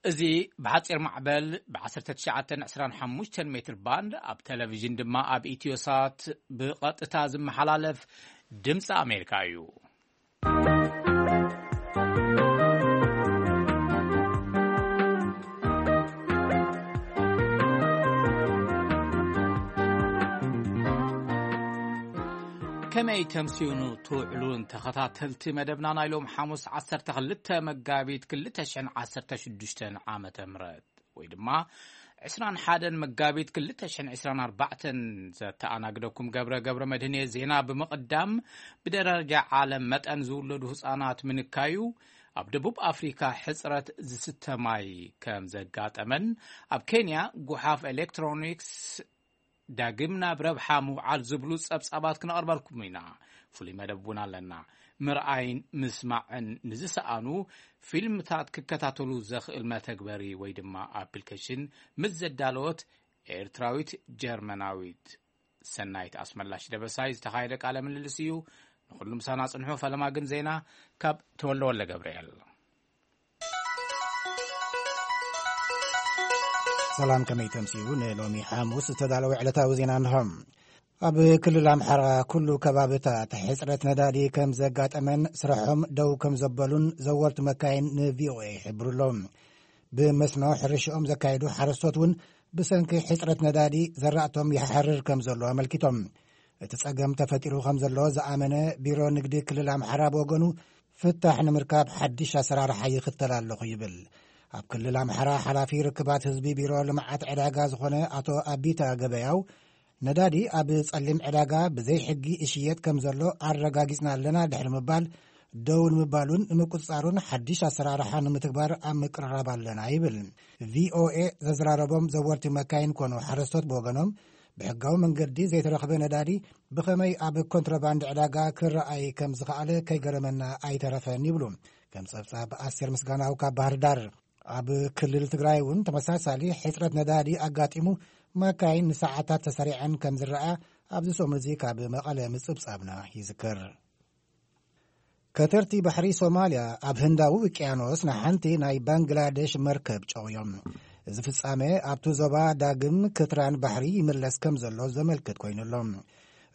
እዚ ብሓጺር ማዕበል ብ1925 ሜትር ባንድ ኣብ ቴሌቪዥን ድማ ኣብ ኢትዮሳት ብቐጥታ ዝመሓላለፍ ድምፂ ኣሜሪካ እዩ። ከመይ ተምስዩኑ ትውዕሉን ተኸታተልቲ መደብና ናይ ሎም ሓሙስ 12 መጋቢት 2016 ዓመተ ምህረት ወይ ድማ 21 መጋቢት 2024 ዘተኣናግደኩም ገብረ ገብረ መድህን እየ። ዜና ብምቕዳም ብደረጃ ዓለም መጠን ዝውለዱ ህፃናት ምንካዩ፣ ኣብ ደቡብ ኣፍሪካ ሕፅረት ዝስተ ማይ ከም ዘጋጠመን ኣብ ኬንያ ጉሓፍ ኤሌክትሮኒክስ ዳግም ናብ ረብሓ ምውዓል ዝብሉ ጸብጻባት ክነቕርበልኩም ኢና። ፍሉይ መደብ እውን ኣለና። ምርኣይን ምስማዕን ንዝሰኣኑ ፊልምታት ክከታተሉ ዘኽእል መተግበሪ ወይ ድማ ኣፕሊኬሽን ምስ ዘዳለወት ኤርትራዊት ጀርመናዊት ሰናይት ኣስመላሽ ደበሳይ ዝተኻየደ ቃለ ምልልስ እዩ። ንኹሉ ምሳና ጽንሑ። ፈለማ ግን ዜና ካብ ተወልደ ወልደ ገብርኤል። ሰላም፣ ከመይ ተምስዩ ንሎሚ ሓሙስ ዝተዳለወ ዕለታዊ ዜና እንሆ። ኣብ ክልል ኣምሓራ ኩሉ ከባብታት ሕፅረት ነዳዲ ከም ዘጋጠመን ስራሖም ደው ከም ዘበሉን ዘወርቲ መካይን ን ቪ ኦ ኤ ይሕብሩ ኣለዉ። ብመስኖ ሕርሽኦም ዘካየዱ ሓረስቶት እውን ብሰንኪ ሕፅረት ነዳዲ ዘራእቶም ይሓርር ከም ዘሎ ኣመልኪቶም። እቲ ጸገም ተፈጢሩ ከም ዘሎ ዝኣመነ ቢሮ ንግዲ ክልል ኣምሓራ ብወገኑ፣ ፍታሕ ንምርካብ ሓድሽ ኣሰራርሓ ይኽተል ኣለኹ ይብል። ኣብ ክልል ኣምሓራ ሓላፊ ርክባት ህዝቢ ቢሮ ልምዓት ዕዳጋ ዝኾነ ኣቶ ኣቢታ ገበያው፣ ነዳዲ ኣብ ጸሊም ዕዳጋ ብዘይ ሕጊ ይሽየጥ ከም ዘሎ ኣረጋጊጽና ኣለና ድሕሪ ምባል፣ ደው ንምባሉን ንምቁጽጻሩን ሓድሽ ኣሰራርሓ ንምትግባር ኣብ ምቅርራብ ኣለና ይብል። ቪ ኦ ኤ ዘዘራረቦም ዘወርቲ መካይን ኮኑ ሓረስቶት ብወገኖም፣ ብሕጋዊ መንገዲ ዘይተረኽበ ነዳዲ ብኸመይ ኣብ ኮንትሮባንድ ዕዳጋ ክረኣይ ከም ዝኸኣለ ከይገረመና ኣይተረፈን ይብሉ። ከም ጸብጻብ ኣስቴር ምስጋናው ካብ ባህር ዳር። ኣብ ክልል ትግራይ እውን ተመሳሳሊ ሕጽረት ነዳዲ ኣጋጢሙ፣ መካይን ንሰዓታት ተሰሪዐን ከም ዝረኣ ኣብዚ ሰሙን እዚ ካብ መቐለ ምጽብጻብና ይዝከር። ከተርቲ ባሕሪ ሶማልያ ኣብ ህንዳዊ ውቅያኖስ ንሓንቲ ናይ ባንግላደሽ መርከብ ጨውዮም። እዚ ፍጻሜ ኣብቲ ዞባ ዳግም ክትራን ባሕሪ ይምለስ ከም ዘሎ ዘመልክት ኮይኑ ኣሎ።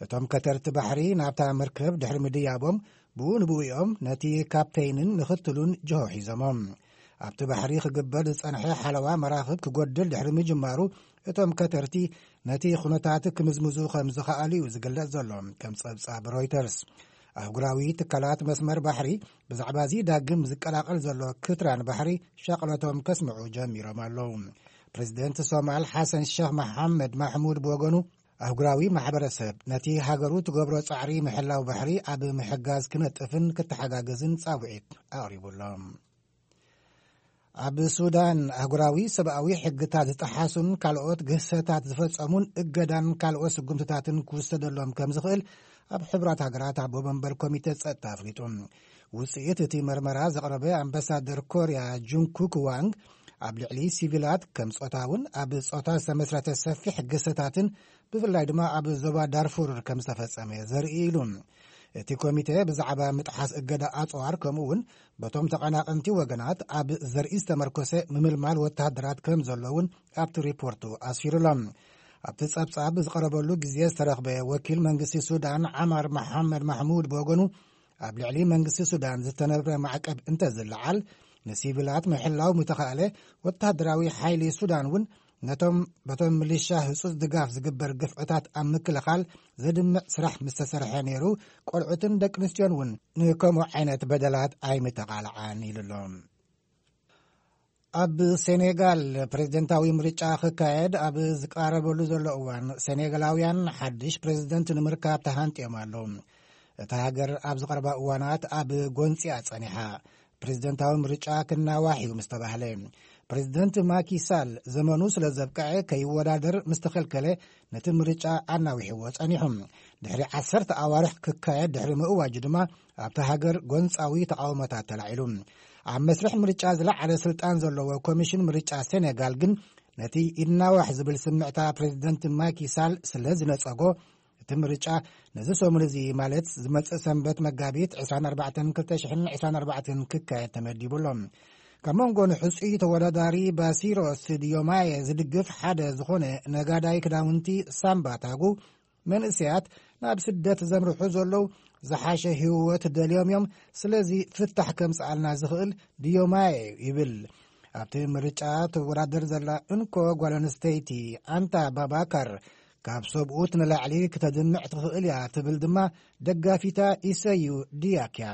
እቶም ከተርቲ ባሕሪ ናብታ መርከብ ድሕሪ ምድያቦም፣ ብኡ ንብኡ እዮም ነቲ ካፕተይንን ምኽትሉን ጅሆ ሒዞሞም። ኣብቲ ባሕሪ ክግበር ዝጸንሐ ሓለዋ መራኽብ ክጎድል ድሕሪ ምጅማሩ፣ እቶም ከተርቲ ነቲ ኩነታት ክምዝምዙ ከም ዝኸኣሉ እዩ ዝግለጽ ዘሎ። ከም ጸብጻብ ሮይተርስ፣ ኣህጉራዊ ትካላት መስመር ባሕሪ ብዛዕባ እዚ ዳግም ዝቀላቐል ዘሎ ክትራን ባሕሪ ሻቕሎቶም ከስምዑ ጀሚሮም ኣለዉ። ፕሬዚደንት ሶማል ሓሰን ሸኽ መሓመድ ማሕሙድ ብወገኑ፣ ኣህጉራዊ ማሕበረሰብ ነቲ ሃገሩ ትገብሮ ጻዕሪ ምሕላው ባሕሪ ኣብ ምሕጋዝ ክነጥፍን ክተሓጋገዝን ጻውዒት ኣቕሪቡ ኣሎ። ኣብ ሱዳን ኣህጉራዊ ሰብኣዊ ሕግታት ዝጠሓሱን ካልኦት ግህሰታት ዝፈጸሙን እገዳን ካልኦት ስጉምትታትን ክውሰደሎም ከም ዝኽእል ኣብ ሕቡራት ሃገራት ኣቦ መንበር ኮሚተ ጸጥታ ኣፍሊጡ። ውጽኢት እቲ መርመራ ዘቕረበ ኣምባሳደር ኮርያ ጁንኩክ ዋንግ፣ ኣብ ልዕሊ ሲቪላት ከም ጾታውን ኣብ ጾታ ዝተመስረተ ሰፊሕ ግህሰታትን ብፍላይ ድማ ኣብ ዞባ ዳርፉር ከም ዝተፈጸመ ዘርኢ ኢሉ። እቲ ኮሚቴ ብዛዕባ ምጥሓስ እገዳ ኣጽዋር ከምኡ እውን በቶም ተቐናቐንቲ ወገናት ኣብ ዘርኢ ዝተመርኮሰ ምምልማል ወተሃደራት ከም ዘሎ እውን ኣብቲ ሪፖርቱ ኣስፊሩ ኣሎ። ኣብቲ ጸብጻብ ዝቐረበሉ ግዜ ዝተረኽበ ወኪል መንግስቲ ሱዳን ዓማር መሓመድ ማሕሙድ ብወገኑ፣ ኣብ ልዕሊ መንግስቲ ሱዳን ዝተነብረ ማዕቀብ እንተዝለዓል፣ ንሲቪላት ምሕላው ምተኻእለ፣ ወተሃደራዊ ሓይሊ ሱዳን እውን ነቶም በቶም ሚሊሻ ህጹጽ ድጋፍ ዝግበር ግፍዕታት ኣብ ምክልኻል ዘድምዕ ስራሕ ምስ ተሰርሐ ነይሩ፣ ቆልዑትን ደቂ ኣንስትዮን እውን ንከምኡ ዓይነት በደላት ኣይምተቓልዓን ኢሉ ኣሎ። ኣብ ሴኔጋል ፕሬዝደንታዊ ምርጫ ክካየድ ኣብ ዝቃረበሉ ዘሎ እዋን፣ ሴኔጋላውያን ሓድሽ ፕሬዝደንት ንምርካብ ተሃንጥዮም ኣለዉ። እታ ሃገር ኣብ ዝቐረባ እዋናት ኣብ ጎንጺ እያ ጸኒሓ። ፕሬዝደንታዊ ምርጫ ክናዋሕ እዩ ምስ ተባህለ፣ ፕሬዝደንት ማኪ ሳል ዘመኑ ስለ ዘብቅዐ ከይወዳደር ምስ ተኸልከለ፣ ነቲ ምርጫ ኣናዊሕዎ ጸኒሑ። ድሕሪ ዓሰርተ ኣዋርሕ ክካየድ ድሕሪ ምእዋጁ ድማ፣ ኣብታ ሃገር ጎንጻዊ ተቓውሞታት ተላዒሉ። ኣብ መስርሕ ምርጫ ዝለዓለ ስልጣን ዘለዎ ኮሚሽን ምርጫ ሴኔጋል ግን፣ ነቲ ይናዋሕ ዝብል ስምዕታ ፕሬዝደንት ማኪ ሳል ስለ ዝነጸጎ፣ እቲ ምርጫ ነዚ ሰሙን እዚ፣ ማለት ዝመጽእ ሰንበት መጋቢት ዕስራን ኣርባዕተን ክልተ ሽሕን ዕስራን ኣርባዕተን ክካየድ ተመዲቡ ኣሎ። ካብ መንጎ ንሕጹይ ተወዳዳሪ ባሲሮስ ዲዮማየ ዝድግፍ ሓደ ዝኾነ ነጋዳይ ክዳውንቲ ሳምባ ታጉ፣ መንእሰያት ናብ ስደት ዘምርሑ ዘለዉ ዝሓሸ ህይወት ደልዮም እዮም፣ ስለዚ ፍታሕ ከምጽኣልና ዝኽእል ዲዮማየ እዩ ይብል። ኣብቲ ምርጫ ትወዳደር ዘላ እንኮ ጓል ኣንስተይቲ ኣንታ ባባካር፣ ካብ ሰብኡት ንላዕሊ ክተድምዕ ትኽእል እያ ትብል ድማ ደጋፊታ ኢሰዩ ዲያክ እያ።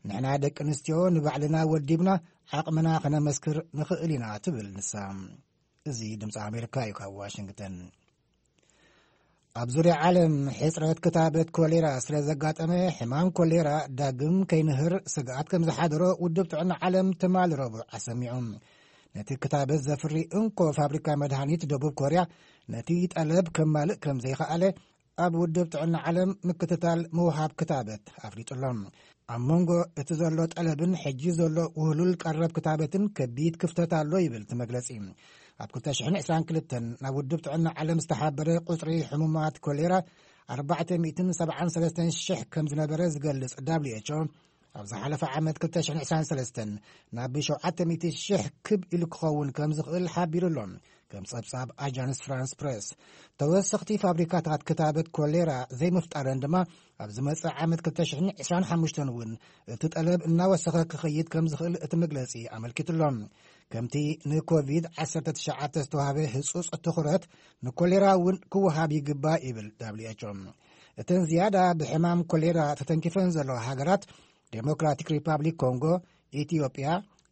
ንሕና ደቂ ኣንስትዮ ንባዕልና ወዲብና ዓቕምና ከነመስክር ንኽእል ኢና ትብል ንሳ። እዚ ድምፂ ኣሜሪካ እዩ ካብ ዋሽንግተን። ኣብ ዙርያ ዓለም ሕፅረት ክታበት ኮሌራ ስለ ዘጋጠመ፣ ሕማም ኮሌራ ዳግም ከይንህር ስግኣት ከም ዝሓደሮ ውድብ ጥዕና ዓለም ትማሊ ረቡዕ ኣሰሚዑ። ነቲ ክታበት ዘፍሪ እንኮ ፋብሪካ መድሃኒት ደቡብ ኮርያ ነቲ ጠለብ ከማልእ ከም ዘይኸኣለ ኣብ ውድብ ጥዕና ዓለም ምክትታል ምውሃብ ክታበት ኣፍሊጡ ኣሎ። ኣብ መንጎ እቲ ዘሎ ጠለብን ሕጂ ዘሎ ውህሉል ቀረብ ክታበትን ከቢድ ክፍተት ኣሎ ይብል እቲ መግለጺ። ኣብ ክልተ ሽሕን ዕስራን ክልተን ናብ ውድብ ጥዕና ዓለም ዝተሓበረ ቁጽሪ ሕሙማት ኮሌራ ኣርባዕተ ሚእትን ሰብዓን ሰለስተን ሽሕ ከም ዝነበረ ዝገልጽ ደብሊው ኤች ኦ፣ ኣብ ዝሓለፈ ዓመት ክልተ ሽሕን ዕስራን ሰለስተን ናብ ሸውዓተ ሚእቲ ሽሕ ክብ ኢሉ ክኸውን ከም ዝኽእል ሓቢሩ ኣሎ። ከም ጸብጻብ ኣጃንስ ፍራንስ ፕረስ፣ ተወሰኽቲ ፋብሪካታት ክታበት ኮሌራ ዘይምፍጣረን ድማ ኣብ ዝመጽእ ዓመት ክልተ ሽሕን ዕስራን ሓሙሽተን እውን እቲ ጠለብ እናወሰኸ ክኸይድ ከም ዝኽእል እቲ መግለጺ ኣመልኪቱ ኣሎ። ከምቲ ንኮቪድ ዓሰርተ ትሽዓተ ዝተዋህበ ህጹጽ ትኹረት ንኮሌራ እውን ክወሃብ ይግባእ ይብል ደብሊው ኤች ኦ። እተን ዝያዳ ብሕማም ኮሌራ ተተንኪፈን ዘለዋ ሃገራት ዴሞክራቲክ ሪፓብሊክ ኮንጎ፣ ኢትዮጵያ፣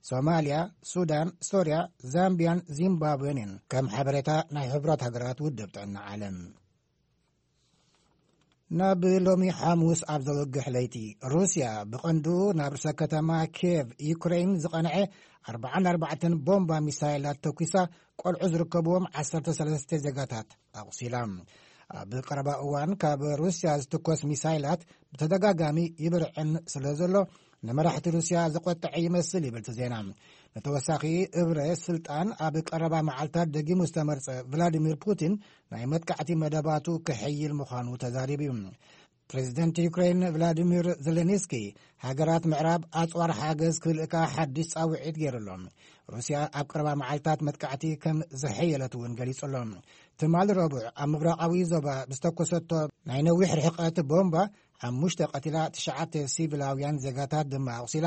ሶማልያ፣ ሱዳን፣ ሶርያ፣ ዛምቢያን ዚምባብዌን እየን፣ ከም ሓበሬታ ናይ ሕቡራት ሃገራት ውድብ ጥዕና ዓለም። ናብ ሎሚ ሓሙስ ኣብ ዘወግሕ ለይቲ፣ ሩስያ ብቐንዱ ናብ ርእሰ ከተማ ኪየቭ ዩክሬን ዝቐንዐ ኣርባዓን ኣርባዕተን ቦምባ ሚሳይላት ተኲሳ፣ ቆልዑ ዝርከብዎም ዓሰርተ ሰለስተ ዜጋታት ኣቑሲላ። ኣብ ቀረባ እዋን ካብ ሩስያ ዝትኮስ ሚሳይላት ብተደጋጋሚ ይብርዕን ስለ ዘሎ፣ ንመራሕቲ ሩስያ ዘቆጠዐ ይመስል ይብል እቲ ዜና። ንተወሳኺ እብረ ስልጣን ኣብ ቀረባ መዓልታት ደጊሙ ዝተመርጸ ቭላዲሚር ፑቲን ናይ መጥቃዕቲ መደባቱ ክሕይል ምዃኑ ተዛሪቡ እዩ። ፕሬዚደንት ዩክሬን ቭላዲሚር ዜሌንስኪ፣ ሃገራት ምዕራብ ኣጽዋር ሓገዝ ክልእካ ሓድሽ ጻውዒት ገይሩ ኣሎ። ሩስያ ኣብ ቀረባ መዓልታት መጥቃዕቲ ከም ዘሐየለት እውን ገሊጹ ኣሎ። ትማሊ ረቡዕ ኣብ ምብራቓዊ ዞባ ብዝተኮሰቶ ናይ ነዊሕ ርሕቀት ቦምባ ሓሙሽተ ቀቲላ፣ ትሽዓተ ሲቪላውያን ዜጋታት ድማ ኣቑሲላ።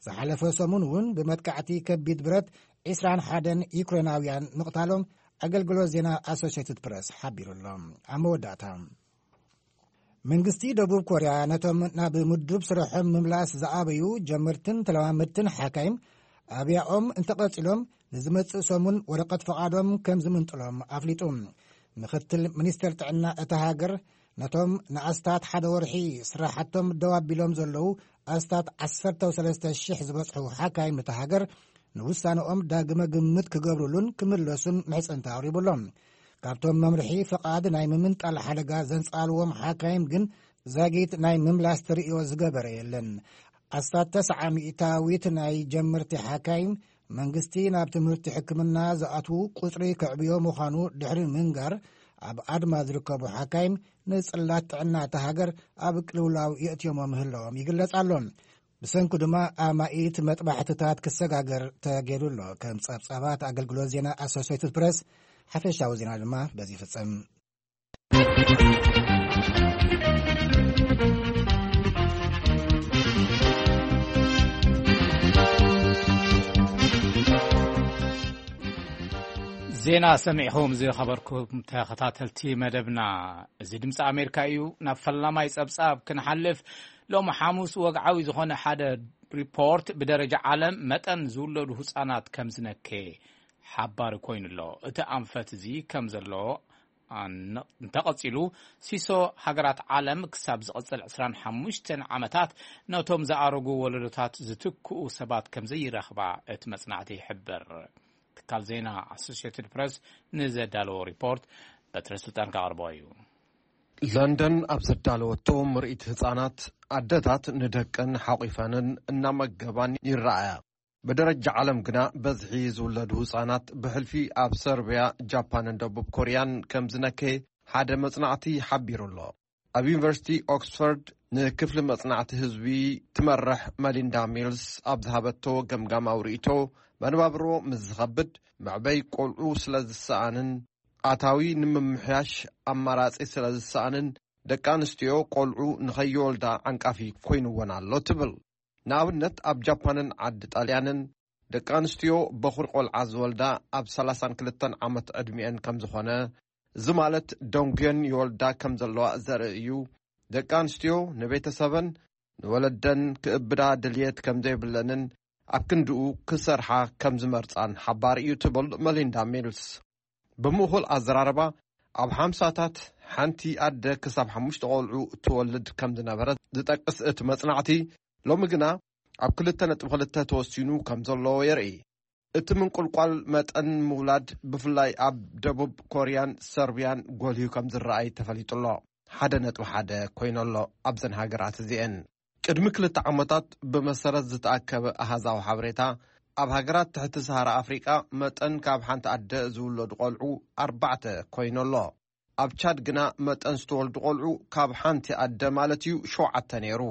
ዝሓለፈ ሰሙን እውን ብመጥቃዕቲ ከቢድ ብረት ዕስራን ሓደን ዩክሬናውያን ምቕታሎም ኣገልግሎት ዜና ኣሶሽየትድ ፕረስ ሓቢሩ ኣሎ። ኣብ መወዳእታ፣ መንግስቲ ደቡብ ኮርያ ነቶም ናብ ምዱብ ስርሖም ምምላስ ዝኣበዩ ጀመርትን ተለማመድትን ሓካይም ኣብያኦም እንተቐጺሎም ንዝመጽእ ሰሙን ወረቐት ፈቓዶም ከም ዝምንጥሎም ኣፍሊጡ። ምክትል ሚኒስተር ጥዕና እታ ሃገር ነቶም ንኣስታት ሓደ ወርሒ ስራሓቶም ደው ኣቢሎም ዘለዉ ኣስታት ዓሰርተ ሰለስተ ሽሕ ዝበጽሑ ሓካይም እታ ሃገር ንውሳነኦም ዳግመ ግምት ክገብሩሉን ክምለሱን ምሕጽንታ ኣቕሪቡ ኣሎ። ካብቶም መምርሒ ፍቓድ ናይ ምምንጣል ሓደጋ ዘንጻልዎም ሓካይም ግን ዛጊት ናይ ምምላስ ተርእዮ ዝገበረ የለን። ኣስታት ተስዓ ሚእታዊት ናይ ጀመርቲ ሓካይም መንግስቲ ናብ ትምህርቲ ሕክምና ዝኣትዉ ቁጽሪ ከዕብዮ ምዃኑ ድሕሪ ምንጋር፣ ኣብ ኣድማ ዝርከቡ ሓካይም ንጽላት ጥዕና እታ ሃገር ኣብ ቅልውላው የእትዮሞ ምህላዎም ይግለጽ ኣሎ። ብሰንኩ ድማ ኣማኢት መጥባሕትታት ክሰጋገር ተገይሩ ኣሎ። ከም ጸብጻባት ኣገልግሎት ዜና ኣሶሴትድ ፕረስ፣ ሓፈሻዊ ዜና ድማ በዚ ይፍጸም። ዜና ሰሚዕኹም ዝኸበርኩም ተኸታተልቲ መደብና፣ እዚ ድምፂ ኣሜሪካ እዩ። ናብ ፈላማይ ጸብጻብ ክንሓልፍ፣ ሎሚ ሓሙስ ወግዓዊ ዝኾነ ሓደ ሪፖርት ብደረጃ ዓለም መጠን ዝውለዱ ህጻናት ከም ዝነከየ ሓባሪ ኮይኑ ኣሎ። እቲ ኣንፈት እዚ ከም ዘሎ ኣነ-፣ እንተቐጺሉ፣ ሲሶ ሃገራት ዓለም ክሳብ ዝቐጽል ዕስራን ሓሙሽተን ዓመታት ነቶም ዝኣረጉ ወለዶታት ዝትክኡ ሰባት ከም ዘይረኽባ እቲ መጽናዕቲ ይሕብር። ትካል ዜና ኣሶሲየትድ ፕረስ ንዘዳለዎ ሪፖርት በትረ ስልጣን ከቕርቦ እዩ። ለንደን ኣብ ዘዳለወቶ ምርኢት ህጻናት፣ ኣደታት ንደቀን ሓቑፈንን እናመገባን ይረኣያ። ብደረጃ ዓለም ግና በዝሒ ዝውለዱ ህጻናት ብሕልፊ ኣብ ሰርቢያ፣ ጃፓንን ደቡብ ኮርያን ከም ዝነከየ ሓደ መጽናዕቲ ሓቢሩ ኣሎ። ኣብ ዩኒቨርሲቲ ኦክስፎርድ ንክፍሊ መጽናዕቲ ህዝቢ ትመርሕ መሊንዳ ሚልስ ኣብ ዝሃበቶ ገምጋማዊ ርእይቶ፣ መነባብሮ ምስ ዝኸብድ፣ መዕበይ ቆልዑ ስለ ዝሰኣንን ኣታዊ ንምምሕያሽ ኣማራጺ ስለ ዝሰኣንን፣ ደቂ ኣንስትዮ ቆልዑ ንኸይወልዳ ዓንቃፊ ኮይንወን ኣሎ ትብል። ንኣብነት፣ ኣብ ጃፓንን ዓዲ ጣልያንን ደቂ ኣንስትዮ በኹሪ ቆልዓ ዝወልዳ ኣብ ሰላሳን ክልተን ዓመት ዕድሚኤን ከም ዝኾነ፣ እዚ ማለት ደንጉየን ይወልዳ ከም ዘለዋ ዘርኢ እዩ። ደቂ ኣንስትዮ ንቤተሰበን ንወለደን ክእብዳ ድልየት ከም ዘይብለንን ኣብ ክንድኡ ክሰርሓ ከም ዝመርጻን ሓባር እዩ ትብል መሊንዳ ሚልስ። ብምእኹል ኣዘራርባ፣ ኣብ ሓምሳታት ሓንቲ ኣደ ክሳብ ሓሙሽተ ቆልዑ ትወልድ ከም ዝነበረት ዝጠቅስ እቲ መጽናዕቲ፣ ሎሚ ግና ኣብ ክልተ ነጥቢ ክልተ ተወሲኑ ከም ዘሎ የርኢ። እቲ ምንቁልቋል መጠን ምውላድ ብፍላይ ኣብ ደቡብ ኮርያን ሰርቢያን ጎልዩ ከም ዝረኣይ ተፈሊጡ ኣሎ። ሓደ ነጥቢ ሓደ ኮይኑ ኣሎ ኣብዘን ሃገራት እዚኤን። ቅድሚ ክልተ ዓመታት ብመሰረት ዝተኣከበ ኣሃዛዊ ሓበሬታ፣ ኣብ ሃገራት ትሕቲ ሰሃራ ኣፍሪቃ መጠን ካብ ሓንቲ ኣደ ዝውለዱ ቆልዑ ኣርባዕተ ኮይኑ ኣሎ። ኣብ ቻድ ግና መጠን ዝተወልዱ ቆልዑ ካብ ሓንቲ ኣደ ማለት እዩ ሸውዓተ ነይሩ።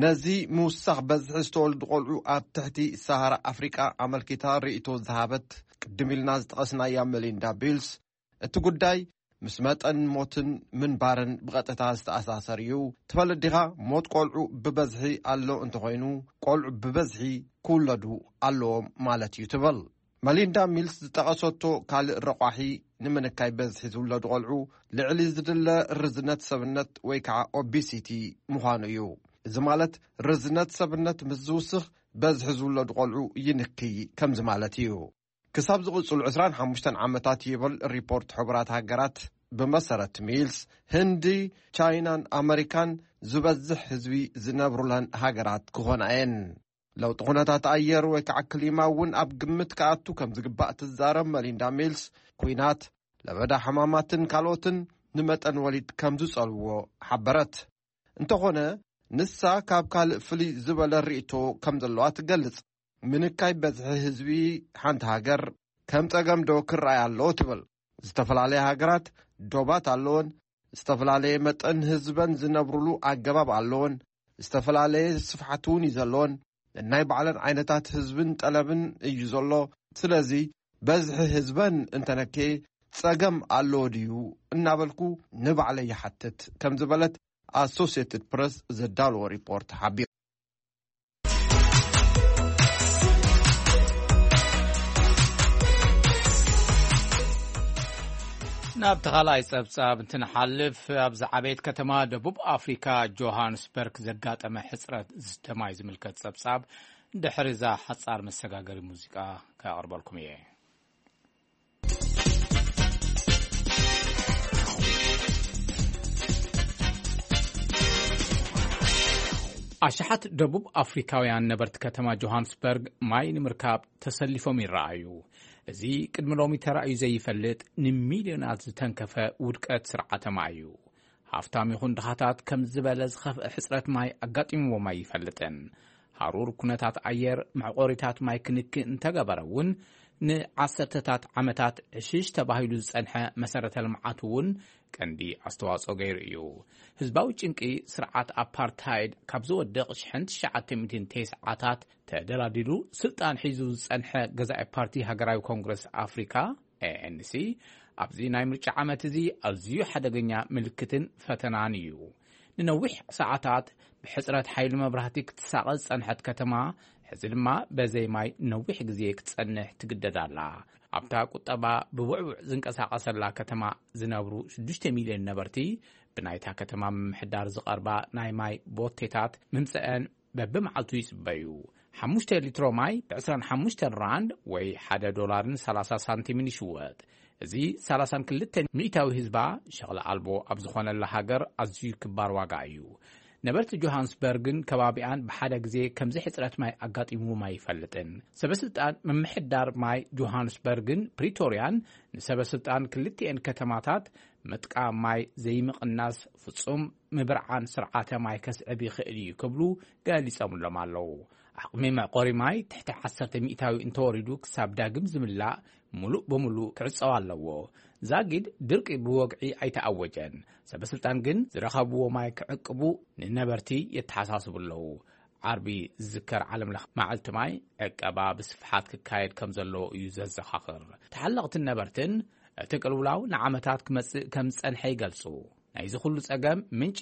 ነዚ ምውሳኽ በዝሒ ዝተወልዱ ቆልዑ ኣብ ትሕቲ ሰሃራ ኣፍሪቃ ኣመልኪታ ርእይቶ ዝሃበት ቅድም ኢልና ዝጠቐስናያ መሊንዳ ቢልስ፣ እቲ ጉዳይ ምስ መጠን ሞትን ምንባርን ብቐጥታ ዝተኣሳሰር እዩ። ትፈልጥ ዲኻ? ሞት ቆልዑ ብበዝሒ ኣሎ እንተኾይኑ፣ ቆልዑ ብበዝሒ ክውለዱ ኣለዎም ማለት እዩ ትብል። መሊንዳ ሚልስ ዝጠቐሰቶ ካልእ ረቋሒ ንምንካይ በዝሒ ዝውለዱ ቆልዑ ልዕሊ ዝድለ ርዝነት ሰብነት ወይ ከዓ ኦቢሲቲ ምዃኑ እዩ። እዚ ማለት ርዝነት ሰብነት ምስ ዝውስኽ በዝሒ ዝውለዱ ቆልዑ ይንክይ ከምዚ ማለት እዩ። ክሳብ ዝቕጽሉ ዕስራን ሓሙሽተን ዓመታት ይብል ሪፖርት ሕቡራት ሃገራት፣ ብመሰረት ሚልስ፣ ህንዲ፣ ቻይናን ኣመሪካን ዝበዝሕ ህዝቢ ዝነብሩለን ሃገራት ክኾና እየን። ለውጢ ኩነታት ኣየር ወይ ከዓ ክሊማ እውን ኣብ ግምት ክኣቱ ከም ዝግባእ ትዛረብ መሊንዳ ሚልስ፣ ኩናት፣ ለበዳ ሕማማትን ካልኦትን ንመጠን ወሊድ ከም ዝጸልዎ ሓበረት። እንተኾነ፣ ንሳ ካብ ካልእ ፍልይ ዝበለ ርእይቶ ከም ዘለዋ ትገልጽ። ምንካይ በዝሒ ህዝቢ ሓንቲ ሃገር ከም ጸገም ዶ ክረኣይ ኣለዎ ትብል። ዝተፈላለያ ሃገራት ዶባት ኣለወን፣ ዝተፈላለየ መጠን ህዝበን ዝነብሩሉ ኣገባብ ኣለወን፣ ዝተፈላለየ ስፍሓት እውን እዩ ዘለወን። ናይ ባዕለን ዓይነታት ህዝብን ጠለብን እዩ ዘሎ። ስለዚ በዝሒ ህዝበን እንተነከየ ጸገም ኣለዎ ድዩ እናበልኩ ንባዕለይ ይሓትት ከም ዝበለት ኣሶሲየትድ ፕረስ ዘዳለዎ ሪፖርት ሓቢሩ። ናብ ተኻልኣይ ጸብጻብ እንትንሓልፍ፣ ኣብ ዝዓበየት ከተማ ደቡብ ኣፍሪካ ጆሃንስበርግ ዘጋጠመ ሕጽረት ዝስተ ማይ ዝምልከት ጸብጻብ ድሕሪ እዛ ሓጻር መሰጋገሪ ሙዚቃ ከቕርበልኩም እየ። ኣሽሓት ደቡብ ኣፍሪካውያን ነበርቲ ከተማ ጆሃንስበርግ ማይ ንምርካብ ተሰሊፎም ይረኣዩ። እዚ ቅድሚ ሎሚ ተራእዩ ዘይፈልጥ፣ ንሚልዮናት ዝተንከፈ ውድቀት ስርዓተ ማይ እዩ። ሃፍታም ይኹን ድኻታት ከም ዝበለ ዝኸፍአ ሕጽረት ማይ ኣጋጢምዎም ኣይፈልጥን። ሃሩር፣ ኩነታት ኣየር፣ መዕቆሪታት ማይ ክንክእ እንተገበረ እውን፣ ንዓሰርተታት ዓመታት ዕሽሽ ተባሂሉ ዝጸንሐ መሰረተ ልምዓት እውን ቀንዲ ኣስተዋጽኦ ገይሩ እዩ። ህዝባዊ ጭንቂ ስርዓት ኣፓርታይድ ካብ ዝወድቕ ሽሕን ትሽዓተ ሚእትን ተስዓታት ተደላዲሉ ስልጣን ሒዙ ዝጸንሐ ገዛኢ ፓርቲ ሃገራዊ ኮንግረስ ኣፍሪካ፣ ኤ ኤን ሲ፣ ኣብዚ ናይ ምርጫ ዓመት እዚ ኣዝዩ ሓደገኛ ምልክትን ፈተናን እዩ። ንነዊሕ ሰዓታት ብሕጽረት ሓይሊ መብራህቲ ክትሳቐ ዝጸንሐት ከተማ፣ ሕዚ ድማ በዘይ ማይ ነዊሕ ግዜ ክትጸንሕ ትግደድ ኣላ። ኣብታ ቁጠባ ብውዕውዕ ዝንቀሳቐሰላ ከተማ ዝነብሩ ሽዱሽተ ሚልዮን ነበርቲ፣ ብናይታ ከተማ ምምሕዳር ዝቐርባ ናይ ማይ ቦቴታት ምምጸአን በብመዓልቱ ይጽበዩ። ሓሙሽተ ሊትሮ ማይ ብዕስራን ሓሙሽተን ራንድ ወይ ሓደ ዶላርን ሰላሳ ሳንቲምን ይሽወጥ። እዚ ሰላሳን ክልተን ሚእታዊ ህዝባ ሸቕሊ ኣልቦ ኣብ ዝኾነላ ሃገር ኣዝዩ ክባር ዋጋ እዩ። ነበርቲ ጆሃንስበርግን ከባቢኣን ብሓደ ግዜ ከምዚ ሕጽረት ማይ ኣጋጢምዎም ኣይፈልጥን። ሰበስልጣን ምምሕዳር ማይ ጆሃንስበርግን ፕሪቶርያን ንሰበስልጣን ክልቲኤን ከተማታት ምጥቃም ማይ ዘይምቕናስ ፍጹም ምብርዓን ስርዓተ ማይ ከስዕብ ይኽእል እዩ ክብሉ ገሊጾምሎም ኣለዉ። ዓቕሚ መዕቆሪ ማይ ትሕቲ ዓሰርተ ሚእታዊ እንተወሪዱ ክሳብ ዳግም ዝምላእ ምሉእ ብምሉእ ክዕጸው ኣለዎ። ዛጊድ ድርቂ ብወግዒ ኣይተኣወጀን። ሰበስልጣን ግን ዝረኸብዎ ማይ ክዕቅቡ ንነበርቲ የተሓሳስቡ ኣለዉ። ዓርቢ ዝዝከር ዓለም ለኸ መዓልቲ ማይ ዕቀባ ብስፍሓት ክካየድ ከም ዘለዎ እዩ ዘዘኻኽር። ተሓለቕትን ነበርትን እቲ ቅልውላው ንዓመታት ክመጽእ ከም ዝጸንሐ ይገልጹ። ናይዚ ኩሉ ጸገም ምንጪ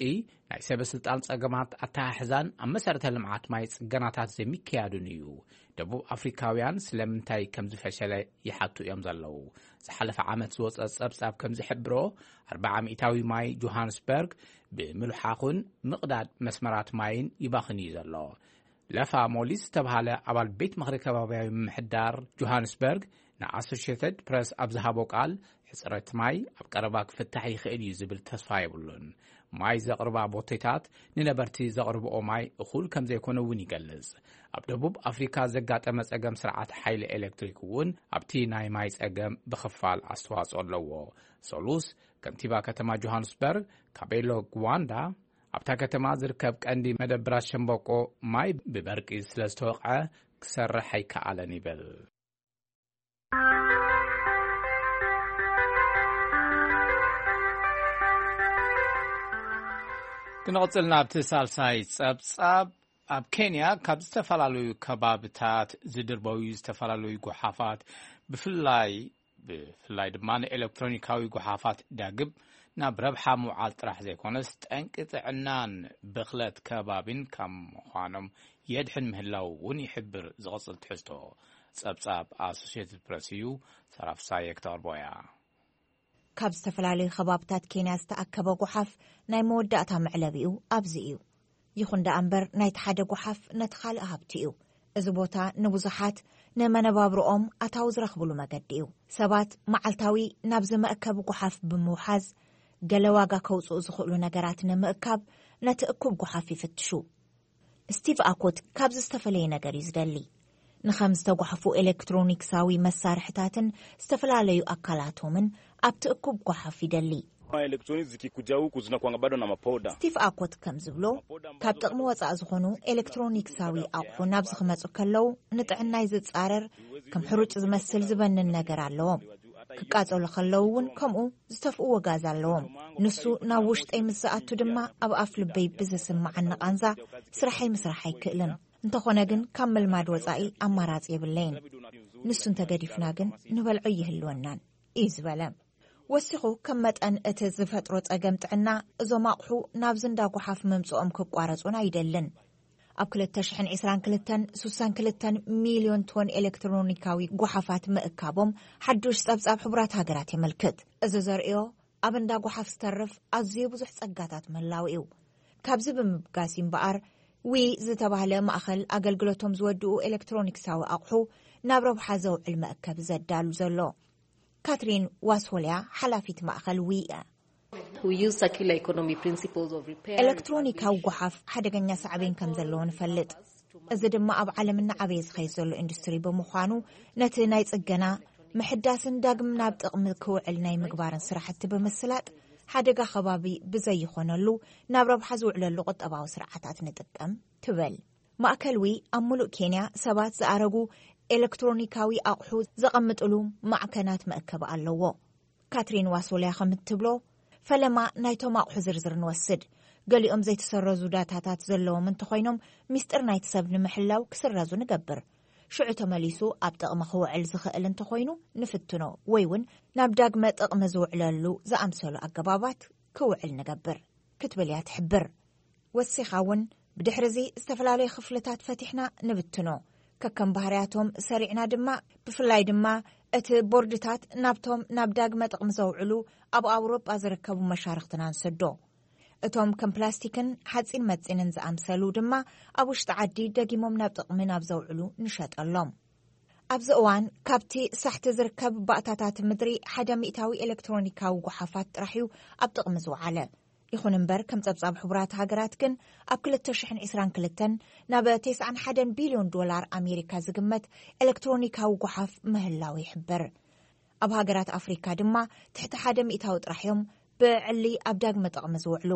ናይ ሰበ ስልጣን ጸገማት ኣተሓሕዛን ኣብ መሰረተ ልምዓት ማይ ጽገናታት ዘይምክያዱን እዩ። ደቡብ ኣፍሪካውያን ስለምንታይ ከም ዝፈሸለ ይሓቱ እዮም ዘለዉ። ዝሓለፈ ዓመት ዝወጸ ጸብጻብ ከም ዝሕብሮ፣ ኣርባዓ ሚእታዊ ማይ ጆሃንስበርግ ብምልሓኹን ምቕዳድ መስመራት ማይን ይባኽን እዩ ዘሎ። ለፋ ሞሊስ ዝተባሃለ ኣባል ቤት ምኽሪ ከባብያዊ ምምሕዳር ጆሃንስበርግ ንኣሶሽየትድ ፕረስ ኣብ ዝሃቦ ቃል፣ ሕጽረት ማይ ኣብ ቀረባ ክፍታሕ ይኽእል እዩ ዝብል ተስፋ የብሉን። ማይ ዘቕርባ ቦቴታት ንነበርቲ ዘቕርብኦ ማይ እኹል ከም ዘይኮነ እውን ይገልጽ። ኣብ ደቡብ ኣፍሪካ ዘጋጠመ ጸገም ስርዓት ሓይሊ ኤሌክትሪክ እውን ኣብቲ ናይ ማይ ጸገም ብኽፋል ኣስተዋጽኦ ኣለዎ። ሰሉስ፣ ከንቲባ ከተማ ጆሃንስበርግ ካቤሎ ግዋንዳ፣ ኣብታ ከተማ ዝርከብ ቀንዲ መደብራት ሸምበቆ ማይ ብበርቂ ስለ ዝተወቕዐ ክሰርሕ ኣይከኣለን ይብል። ክንቕጽል ናብቲ ሳልሳይ ጸብጻብ። ኣብ ኬንያ ካብ ዝተፈላለዩ ከባብታት ዝድርበዩ ዝተፈላለዩ ጎሓፋት፣ ብፍላይ ብፍላይ ድማ ንኤሌክትሮኒካዊ ጎሓፋት ዳግም ናብ ረብሓ ምውዓል ጥራሕ ዘይኮነስ፣ ጠንቂ ጥዕናን ብኽለት ከባቢን ካብ ምዃኖም የድሕን ምህላው እውን ይሕብር። ዝቕጽል ትሕዝቶ ጸብጻብ ኣሶሽየትድ ፕረስ እዩ። ሰራፍሳየ ክተቕርቦ እያ። ካብ ዝተፈላለዩ ከባብታት ኬንያ ዝተኣከበ ጎሓፍ ናይ መወዳእታ መዕለቢኡ ኣብዚ እዩ። ይኹን ደኣ እምበር፣ ናይቲ ሓደ ጎሓፍ ነቲ ካልእ ሃብቲ እዩ። እዚ ቦታ ንብዙሓት ንመነባብሮኦም ኣታዊ ዝረኽብሉ መገዲ እዩ። ሰባት መዓልታዊ ናብዚ መእከቢ ጎሓፍ ብምውሓዝ፣ ገለ ዋጋ ከውጽኡ ዝኽእሉ ነገራት ንምእካብ ነቲ እኩብ ጎሓፍ ይፍትሹ። ስቲቭ ኣኮት ካብዚ ዝተፈለየ ነገር እዩ ዝደሊ። ንኸም ዝተጓሕፉ ኤሌክትሮኒክሳዊ መሳርሕታትን ዝተፈላለዩ ኣካላቶምን ኣብቲ እኩብ ጎሓፍ ይደሊ። Electronics zikikuja huku zinakuanga bado na mapoda. ስቲቭ ኣኮት ከም ዝብሎ፣ ካብ ጥቕሚ ወጻኢ ዝኾኑ ኤሌክትሮኒክሳዊ ኣቑሑ ናብዚ ክመጹ ከለዉ፣ ንጥዕናይ ዝጻረር፣ ከም ሕሩጭ ዝመስል ዝበንን ነገር ኣለዎም። ክቃጸሉ ከለዉ እውን ከምኡ ዝተፍእዎ ጋዝ ኣለዎም። ንሱ ናብ ውሽጠይ ምስ ዝኣቱ ድማ፣ ኣብ ኣፍ ልበይ ብዝስምዓኒ ቃንዛ ስራሐይ ምስራሕ ኣይክእልን። እንተኾነ ግን፣ ካብ ምልማድ ወጻኢ ኣማራጺ የብለይን። ንሱ እንተገዲፍና ግን፣ ንበልዖ ይህልወናን እዩ ዝበለ። ወሲኹ፣ ከም መጠን እቲ ዝፈጥሮ ጸገም ጥዕና፣ እዞም ኣቑሑ ናብዚ እንዳ ጓሓፍ ምምጽኦም ክቋረጹን ኣይደልን። ኣብ ክልተ ሽሕን ዕስራን ክልተን፣ ስሳን ክልተን ሚልዮን ቶን ኤሌክትሮኒካዊ ጓሓፋት ምእካቦም ሓዱሽ ጸብጻብ ሕቡራት ሃገራት የመልክት። እዚ ዘርእዮ፣ ኣብ እንዳ ጓሓፍ ዝተርፍ ኣዝዩ ብዙሕ ጸጋታት ምህላው እዩ። ካብዚ ብምብጋስ እምበኣር፣ ዊ ዝተባህለ ማእኸል ኣገልግሎቶም ዝወድኡ ኤሌክትሮኒክሳዊ ኣቑሑ ናብ ረብሓ ዘውዕል መእከቢ ዘዳሉ ዘሎ። ካትሪን ዋስሆልያ፣ ሓላፊት ማእኸል ዊ እያ። We use circular economy principles of repair. ኤሌክትሮኒካዊ ጓሓፍ ሓደገኛ ሳዕቤን ከም ዘለዎ ንፈልጥ። እዚ ድማ ኣብ ዓለም እናዓበየ ዝኸይድ ዘሎ ኢንዱስትሪ ብምዃኑ፣ ነቲ ናይ ጽገና፣ ምሕዳስን ዳግም ናብ ጥቕሚ ክውዕል ናይ ምግባርን ስራሕቲ ብምስላጥ፣ ሓደጋ ከባቢ ብዘይኾነሉ ናብ ረብሓ ዝውዕለሉ ቁጠባዊ ስርዓታት ንጥቀም ትብል። ማእከል ዊ ኣብ ሙሉእ ኬንያ ሰባት ዝኣረጉ ኤሌክትሮኒካዊ ኣቑሑ ዘቐምጥሉ ማዕከናት መእከቢ ኣለዎ። ካትሪን ዋሶልያ ከም እትብሎ፣ ፈለማ ናይቶም ኣቑሑ ዝርዝር ንወስድ። ገሊኦም ዘይተሰረዙ ዳታታት ዘለዎም እንተኾይኖም፣ ሚስጥር ናይቲ ሰብ ንምሕላው ክስረዙ ንገብር። ሽዑ ተመሊሱ ኣብ ጥቕሚ ክውዕል ዝኽእል እንተኾይኑ ንፍትኖ፣ ወይ እውን ናብ ዳግመ ጥቕሚ ዝውዕለሉ ዝኣምሰሉ ኣገባባት ክውዕል ንገብር፣ ክትብል እያ ትሕብር። ወሲኻ እውን፣ ብድሕሪ እዚ ዝተፈላለዩ ክፍልታት ፈቲሕና ንብትኖ። ከከም ባህርያቶም ሰሪዕና ድማ፣ ብፍላይ ድማ እቲ ቦርድታት ናብቶም ናብ ዳግመ ጥቕሚ ዘውዕሉ ኣብ ኣውሮጳ ዝርከቡ መሻርኽትና ንሰዶ። እቶም ከም ፕላስቲክን ሓጺን መጺንን ዝኣምሰሉ ድማ ኣብ ውሽጢ ዓዲ ደጊሞም ናብ ጥቕሚ ናብ ዘውዕሉ ንሸጠሎም። ኣብዚ እዋን ካብቲ ሳሕቲ ዝርከብ ባእታታት ምድሪ ሓደ ሚእታዊ ኤሌክትሮኒካዊ ጓሓፋት ጥራሕ እዩ ኣብ ጥቕሚ ዝወዓለ። ይኹን እምበር፣ ከም ጸብጻብ ሕቡራት ሃገራት ግን፣ ኣብ ክልተ ሽሕን ዕስራን ክልተን ናብ ተስዓን ሓደን ቢልዮን ዶላር ኣሜሪካ ዝግመት ኤሌክትሮኒካዊ ጓሓፍ ምህላው ይሕበር። ኣብ ሃገራት ኣፍሪካ ድማ ትሕቲ ሓደ ሚእታዊ ጥራሕ እዮም ብዕሊ ኣብ ዳግመ ጥቕሚ ዝውዕሉ።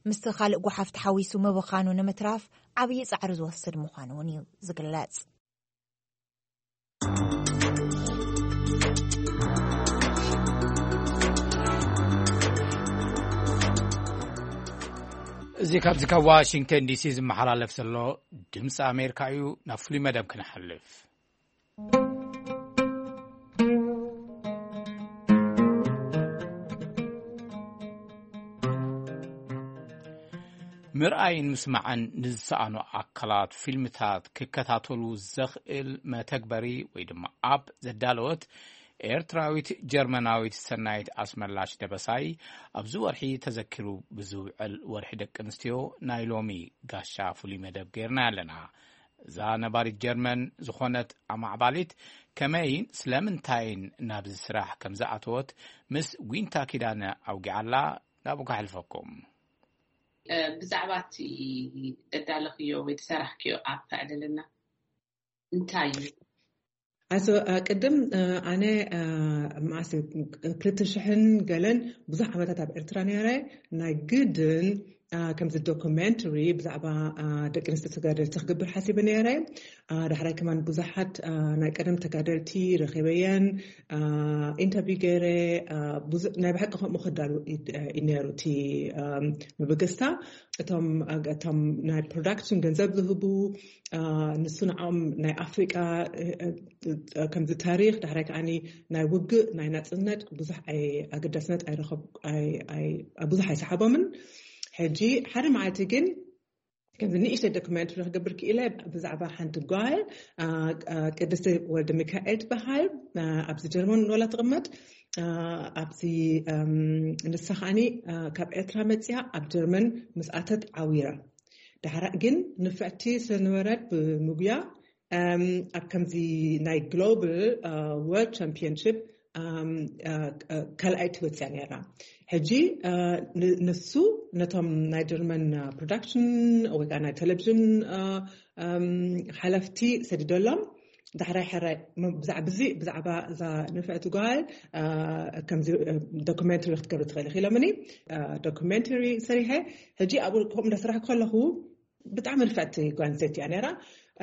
ምስቲ ካልእ ጓሓፍ ተሓዊሱ ምብኻኑ ንምትራፍ ዓብዪ ጻዕሪ ዝወስድ ምዃኑ እውን እዩ ዝግለጽ። እዚ ካብዚ ካብ ዋሽንግተን ዲሲ ዝመሓላለፍ ዘሎ ድምፂ ኣሜሪካ እዩ። ናብ ፍሉይ መደብ ክንሓልፍ። ምርኣይን ምስማዕን ንዝሰኣኑ ኣካላት ፊልምታት ክከታተሉ ዘኽእል መተግበሪ ወይ ድማ ኣፕ ዘዳለወት ኤርትራዊት ጀርመናዊት ሰናይት ኣስመላሽ ደበሳይ ኣብዚ ወርሒ ተዘኪሩ ብዝውዕል ወርሒ ደቂ ኣንስትዮ ናይ ሎሚ ጋሻ ፍሉይ መደብ ጌርና ኣለና። እዛ ነባሪት ጀርመን ዝኾነት ኣማዕባሊት ከመይን ስለምንታይን ናብዚ ስራሕ ከም ዝኣተወት ምስ ዊንታ ኪዳነ ኣውጊዓላ። ናብኡ ከሕልፈኩም። እ፣ ብዛዕባ እቲ እዳለኽዮ ወይ ዝሰራሕክዮ ኣፕ ኣዕልልና። እንታይ እዩ? ኣዞ፣ እ፣ ቅድም፣ እ፣ ኣነ፣ እ፣ መዓስ እዩ? ክልተ ሽሕን ገለን ብዙሕ ዓመታት ኣብ ኤርትራ ነይረ። ናይ ግድን፣ እ፣ ከምዚ ዶኩሜንተሪ ብዛዕባ፣ እ፣ ደቂ ኣንስትዮ ተጋደልቲ ክገብር ሓሲበ ነይረ። እ፣ ዳሕራይ ከማን ብዙሓት፣ እ፣ ናይ ቀደም ተጋደልቲ ረኺበየን፣ እ፣ ኢንተርቪው ገይረ፣ እ፣ ብዙ-፣ ናይ ብሓቂ ከምኡ ክዳሉ ዩ፣ እ፣ እዩ ነይሩ እቲ፣ እ፣ መበገስታ። እቶም፣ እቶም ናይ ፕሮዳክሽን ገንዘብ ዝህቡ፣ እ፣ ንሱ ንዕኦም ናይ ኣፍሪቃ፣ እ፣ እ፣ ከምዚ ታሪኽ፣ ዳሕራይ ከዓኒ ናይ ውግእ፣ ናይ ናጽነት ብዙሕ ኣይ-፣ ኣገዳስነት ኣይረኸብ-፣ ኣይ-፣ ኣይ-፣ ብዙሕ ኣይሰሓቦምን። ሕጂ ሓደ መዓልቲ ግን ከምዚ ንእሽተይ ዶክመንተሪ ክገብር ክኢለ ብዛዕባ ሓንቲ ጓል፣ እ፣ እ፣ ቅድስቲ ወልደ ሚካኤል ትበሃል። እ፣ ኣብዚ ጀርመን ወላ ትቕመጥ። እ፣ ኣብዚ፣ እም፣ ንሳ ከዓኒ፣ እ፣ ካብ ኤርትራ መጽያ ኣብ ጀርመን ምስ ኣተት ዓዊራ። ዳሕራ ግን ንፍዕቲ ስለነበረት ብምጉያ፣ እም፣ ኣብ ከምዚ ናይ ግሎባል፣ እ፣ ወርልድ ቻምፒዮንሺፕ፣ እም፣ እ፣ እ፣ ካልኣይቲ ወጽያ ነይራ። ሕጂ፣ እ፣ ን-፣ ንሱ ነቶም ናይ ጀርመን፣ እ፣ ፕሮዳክሽን ወይ ከዓ ናይ ቴሌቪዥን፣ እ፣ እም፣ ሓለፍቲ ሰዲደሎም። ዳሕራይ ሕራይ ም-፣ ብዛዕባ እዚ፣ ብዛዕባ እዛ ንፍዕቲ ጓል፣ እ፣ ከምዚ፣ እ፣ ዶክመንተሪ ክትገብሪ ትኽእሊ ኢሎምኒ። እ፣ ዶክመንተሪ ሰሪሐ። ሕጂ ኣብኡ ከምኡ እንዳሰራሕኩ ከለኹ ብጣዕሚ ንፍዕቲ ጓል ኣንስተይቲ እያ ነይራ።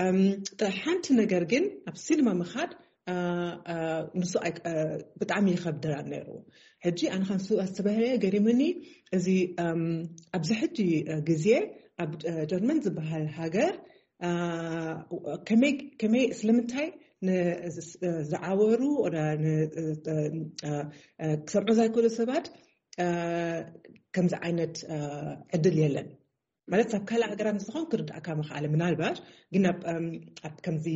እም፣ ጥ-፣ ሓንቲ ነገር ግን ኣብ ሲኒማ ምኻድ፣ እ፣ እ፣ ንሱ ኣይ-፣ እ፣ ብጣዕሚ ይኸብደና ነይሩ። ሕጂ ኣነ ኻንሱ ኣስተባህለ ገሪምኒ። እዚ፣ እም፣ ኣብዚ ሕጂ፣ እ፣ ግዜ ኣብ፣ እ፣ ጀርመን ዝበሃል ሃገር፣ እ፣ ከመይ፣ ከመይ፣ ስለምንታይ ን-፣ ዝ-፣ ዝዓወሩ ወላ ን-፣ እ፣ እ፣ እ፣ ክሰምዑ ዘይክእሉ ሰባት፣ እ፣ ከምዚ ዓይነት፣ እ፣ ዕድል የለን። ማለት ኣብ ካልእ ሃገራት ንዝኾን ክርዳእካ ምኽኣለ፣ ምናልባት ግን ኣብ፣ እም፣ ኣብ ከምዚ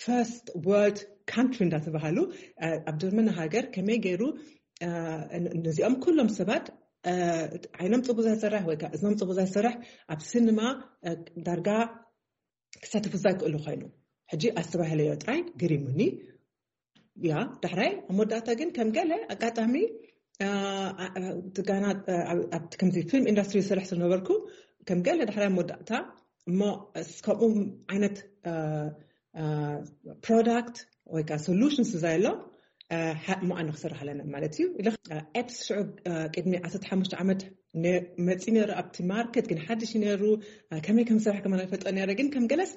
ፈርስት ወርልድ ካንትሪ እንዳተባሃሉ፣ እ፣ ኣብ ጀርመን ሃገር ከመይ ገይሩ፣ እ፣ ን-፣ ነዚኦም ኩሎም ሰባት፣ እ፣ ዓይኖም ጽቡቅ ዘይሰርሕ ወይ ከዓ እዝኖም ጽቡቅ ዘይሰርሕ ኣብ ሲኒማ፣ እ፣ ዳርጋ ክሳተፉ ዘይክእሉ ኮይኑ፣ ሕጂ ኣስተባሂለዮ ጥራይ ገሪሙኒ። ያ፣ ዳሕራይ ኣብ መወዳእታ ግን ከም ገለ ኣጋጣሚ፣ እ፣ እ፣ ትጋና፣ እ፣ ኣብ፣ ኣብቲ ከምዚ ፊልም ኢንዱስትሪ ዝሰርሕ ስለነበርኩ፣ ከም ገለ ዳሕራይ ኣብ መወዳእታ እሞ እስ-፣ ከምኡ ዓይነት፣ እ፣ እ፣ ፕሮዳክት ወይ ከዓ ሶሉሽንስ ዘሎ፣ እ፣ ሓ-፣ እሞ ኣነ ክሰርሕ ኣለና ማለት እዩ። ኢለ፣ እ፣ ኤፕስ ሽዑ፣ እ፣ ቅድሚ ዓሰርተ ሓሙሽተ ዓመት ነ-፣ መፂ ነይሩ ኣብቲ ማርኬት፣ ግን ሓድሽ እዩ ነይሩ። እ፣ ከመይ ከም ዝሰርሕ ከማን ኣይፈልጦ ነይረ፣ ግን ከም ገለስ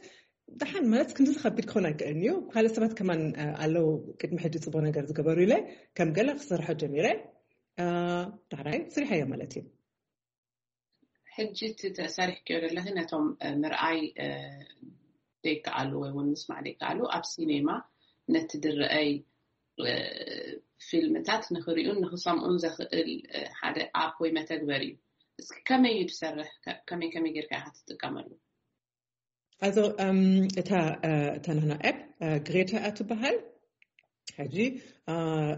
ደሓን ማለት ክንዲ ዝኸቢድ ክኾን ኣይክእልን እዩ። ካልእ ሰባት ከማን፣ እ፣ ኣለዉ ቅድሚ ሕጂ ጽቡቕ ነገር ዝገበሩ ኢለ ከም ገለ ክሰርሖ ጀሚረ። እ፣ ዳሕራይ ስሪሐዮ ማለት እዩ። ሕጂ እቲ ተሰሪሕክዮ ዘለኺ ነቶም፣ እ፣ ምርኣይ፣ እ፣ ዘይከኣሉ ወይ እውን ምስማዕ ዘይከኣሉ ኣብ ሲኔማ ነቲ ድረአይ፣ እ፣ ፊልምታት ንኽሪኡን ንኽሰምዑን ዘኽእል፣ እ፣ ሓደ ኣፕ ወይ መተግበሪ እዩ። እስኪ ከመይ እዩ ዝሰርሕ? ከ-፣ ከመይ ከመይ ጌርካ ኢኻ ትጥቀመሉ? ኣዞ፣ እም፣ እታ፣ እ፣ እታ ናህና ኣፕ፣ እ፣ ግሬታ እያ ትበሃል። ሕጂ፣ እ፣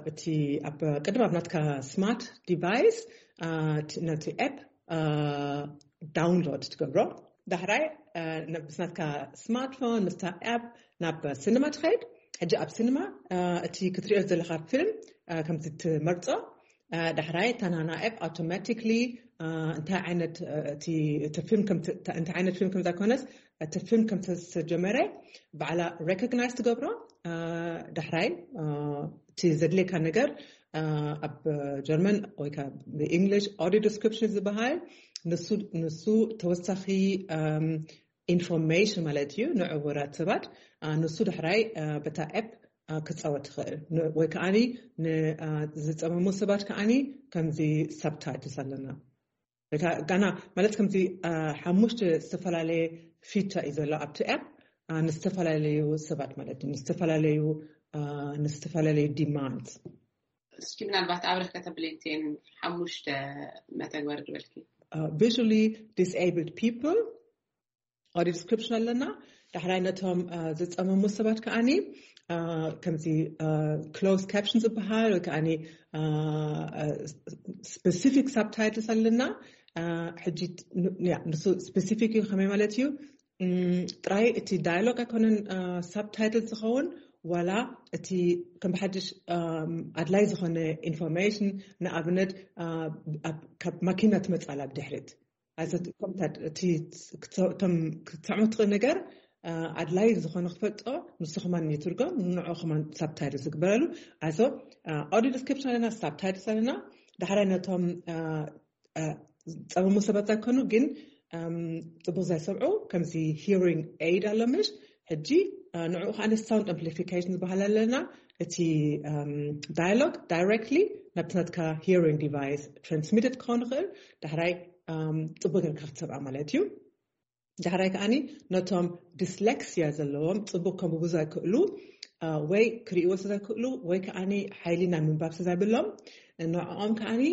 እቲ ኣብ ቅድም ኣብ ናትካ ስማርት ዲቫይስ፣ እ፣ እቲ፣ ነቲ ኣፕ፣ እ፣ ዳውንሎድ ትገብሮ። ዳሕራይ፣ እ፣ ነ-፣ ምስ ናትካ ስማርትፎን፣ ምስታ ኣፕ ናብ ሲኒማ ትኸይድ። ሕጂ ኣብ ሲኒማ፣ እ፣ እቲ ክትሪኦ ዘለኻ ፊልም፣ እ፣ ከምቲ ትመርጾ፣ እ፣ ዳሕራይ እታ ናና ኣፕ ኣውቶማቲክሊ፣ እ፣ እንታይ ዓይነት፣ እ፣ እቲ፣ እቲ ፊልም ከም ት-፣ እንታይ ዓይነት ፊልም ከም ዘኮነስ፣ እቲ ፊልም ከም ዝተጀመረ ባዕላ ሬኮግናይዝ ትገብሮ። እ፣ ዳሕራይ፣ እ፣ እቲ ዘድልየካ ነገር፣ እ፣ ኣብ ጀርመን ወይ ከዓ ብእንግሊሽ ኦዲዮ ዲስክሪፕሽን ዝበሃል፣ ንሱ ንሱ ተወሳኺ ኢንፎርሜሽን ማለት እዩ ንዕውራት ሰባት። ንሱ ድሕራይ በታ ኤፕ ክፃወት ይኽእል ወይ ከዓኒ ዝፀመሙ ሰባት ከዓኒ ከምዚ ሳብታይትልስ ኣለና። ጋና ማለት ከምዚ ሓሙሽተ ዝተፈላለየ ፊቸር እዩ ዘሎ ኣብቲ ኤፕ። ንዝተፈላለዩ ሰባት ማለት እዩ ንዝተፈላለዩ ንዝተፈላለዩ ዲማንድ። እስኪ ምናልባት ኣብረህ ከተብልንቴን ሓሙሽተ መተግበር ዝበልኪ። Visually disabled people፣ ኦዲዮ ዲስክሪፕሽን ኣለና። ዳሕራይ ነቶም ዝፀመሙ ሰባት ከዓኒ ከምዚ ክሎዝ ካፕሽን ዝበሃል ወይ ከዓኒ ስፔሲፊክ ሳብታይትልስ ኣለና። ሕጂ ንሱ ስፔሲፊክ እዩ። ከመይ ማለት እዩ? ጥራይ እቲ ዳያሎግ ኣይኮነን ሳብታይትል ዝኸውን፣ ዋላ እቲ ከም ብሓድሽ ኣድላይ ዝኾነ ኢንፎርሜሽን፣ ንኣብነት ካብ ማኪና ትመፅእ ኣላ ብድሕሪት። ኣቶም ክትሰዕሞ ትኽእል ነገር ኣድላይ ዝኾነ ክፈልጦ ንሱ ከማን ይትርጎም፣ ንዑ ከማን ሳብታይትል ዝግበረሉ። ኣዞ ኦዲዮ ዲስክሪፕሽን ኣለና፣ ሳብታይትልስ ኣለና። ዳሕራይ ነቶም ፀመሙ ሰባት ዘይኮኑ ግን ፅቡቅ ዘይሰምዑ ከምዚ ሂሪንግ ኤድ ኣሎ ምሽ። ሕጂ ንዕኡ ከዓ ሳውንድ ኣምፕሊፊኬሽን ዝበሃል ኣለና። እቲ ዳያሎግ ዳይሬክትሊ ናብቲ ናትካ ሂሪንግ ዲቫይስ ትራንስሚትድ ክኸውን ይኽእል። ዳሕራይ ፅቡቅ ጌርካ ክትሰምዓ ማለት እዩ። ዳሕራይ ከዓኒ ነቶም ዲስሌክሲያ ዘለዎም ፅቡቅ ከንብቡ ዘይክእሉ ወይ ክርእይዎ ዘይክእሉ ወይ ከዓኒ ሓይሊ ናይ ምንባብ ዘይብሎም ንዕኦም ከዓኒ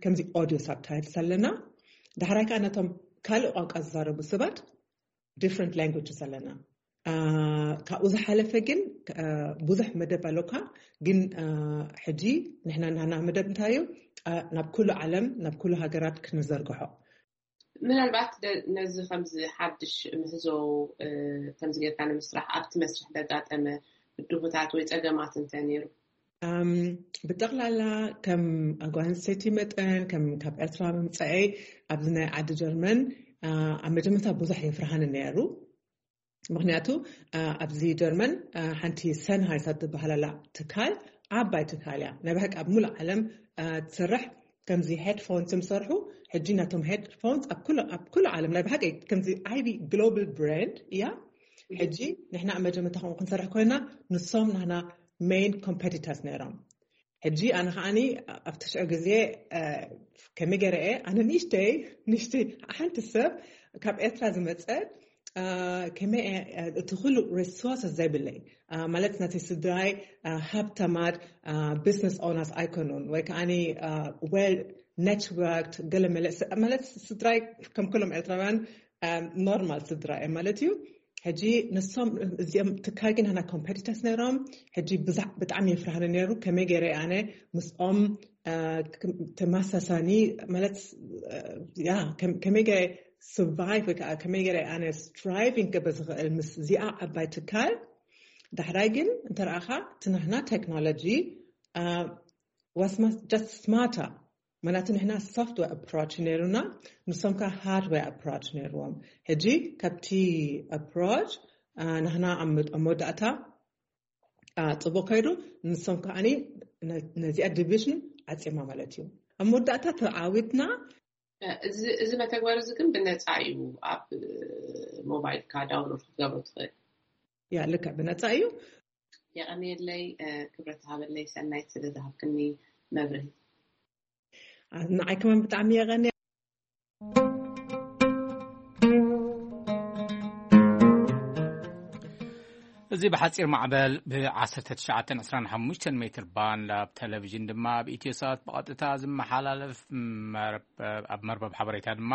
ከምዚ ኦዲዮ ሳብታይትልስ ኣለና። ዳሕራይ ከዓ ነቶም ካልእ ቋንቋ ዝዛረቡ ሰባት ዲፍረንት ላንጉጅስ ኣለና። ካብኡ ዝሓለፈ ግን ብዙሕ መደብ ኣለካ። ግን ሕጂ ንሕና ናና መደብ እንታይ እዩ? ናብ ኩሉ ዓለም ናብ ኩሉ ሃገራት ክንዘርግሖ። ምናልባት ነዚ ከምዚ ሓድሽ ምህዞ ከምዚ ጌርካ ንምስራሕ ኣብቲ መስርሕ ዘጋጠመ ብድሆታት ወይ ፀገማት እንተ ነይሩ? ብጠቕላላ ከም ጓል ኣንስተይቲ መጠን ከም ካብ ኤርትራ ምምፀአይ ኣብዚ ናይ ዓዲ ጀርመን ኣብ መጀመርታ ብዙሕ የፍርሃኒ ነይሩ። ምክንያቱ ኣብዚ ጀርመን ሓንቲ ሰንሃይሰር ትበሃል ኣላ ትካል፣ ዓባይ ትካል እያ። ናይ ብሓቂ ኣብ ሙሉእ ዓለም ትሰርሕ። ከምዚ ሄድፎንስ ዝሰርሑ ሕጂ ናቶም ሄድፎንስ ኣብ ኩሉ ዓለም ናይ ብሓቂ ከምዚ ዓቢ ግሎባል ብራንድ እያ። ሕጂ ንሕና ኣብ መጀመርታ ከምኡ ክንሰርሕ ኮይና ንሶም ናህና ሜን ኮምፐቲተርስ ነይሮም። ሕጂ ኣነ ከዓኒ ኣብቲ ሽዑ ግዜ ከመይ ገይረ እየ ኣነ ንእሽተይ ንእሽተይ ሓንቲ ሰብ ካብ ኤርትራ ዝመፀት ከመይ እቲ ኩሉ ሪሶርስ ዘይብለይ ማለት ናተይ ስድራይ ሃብታማት ቢዝነስ ኦነርስ ኣይኮኑን ወይ ከዓኒ ዌል ኔትወርክድ ገለ መለ ማለት ስድራይ ከም ኩሎም ኤርትራውያን ኖርማል ስድራ እየ ማለት እዩ። ሕጂ ንሶም እዚኦም ትካል ግን ናና ኮምፐቲተርስ ነይሮም። ሕጂ ብጣዕሚ የፍርሃኒ ነይሩ ከመይ ገይረ ኣነ ምስኦም ተመሳሳኒ ማለት ያ ከመይ ገይረ ሰርቫይቭ ወይ ከዓ ከመይ ገይረ ኣነ ስትራይቪንግ ክገብር ዝኽእል ምስ እዚኣ ዓባይ ትካል። ዳሕራይ ግን እንተረኣኻ እቲ ናህና ቴክኖሎጂ ዋስ ጀስት ስማርተር ምክንያቱ ንሕና ሶፍትዌር ኣፕሮች ነይሩና፣ ንሶም ከዓ ሃርድዌር ኣፕሮች ነይርዎም። ሕጂ ካብቲ ኣፕሮች ንሕና ኣብ መወዳእታ ፅቡቅ ከይዱ፣ ንሶም ከዓ ነዚኣ ዲቪዥን ዓፂማ ማለት እዩ። ኣብ መወዳእታ ተዓዊትና። እዚ መተግበሪ እዚ ግን ብነፃ እዩ፣ ኣብ ሞባይልካ ዳውንሎድ ክትገብሮ ትኽእል። ያ ልክዕ ብነፃ እዩ። የቐንየለይ ክብረት ሃበለይ ሰናይት ስለ ዝሃብክኒ መብርሂ። ንዓይ ከማን ብጣዕሚ የቐንየ። እዚ ብሓፂር ማዕበል ብ1925 ሜትር ባንድ ኣብ ቴሌቪዥን ድማ ኣብ ኢትዮ ሳት ብቐጥታ ዝመሓላለፍ ኣብ መርበብ ሓበሬታ ድማ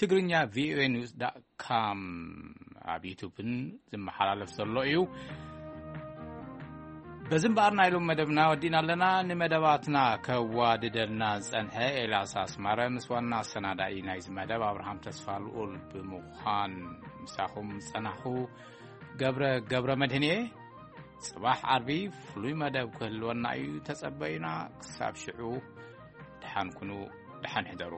ትግርኛ ቪኦኤ ኒውስ ዳት ካም ኣብ ዩቱብን ዝመሓላለፍ ዘሎ እዩ። በዚ እምበኣር ናይ ሎም መደብና ወዲና ኣለና። ንመደባትና ከዋድደልና ዝጸንሐ ኤልያስ ኣስማረ ምስ ዋና ኣሰናዳኢ ናይዚ መደብ ኣብርሃም ተስፋ ልኡል ብምዃን ምሳኹም ዝጸናኹ ገብረ ገብረ መድህን እየ። ጽባሕ ዓርቢ ፍሉይ መደብ ክህልወና እዩ። ተጸበዩና። ክሳብ ሽዑ ደሓን ኩኑ፣ ደሓን ሕደሩ።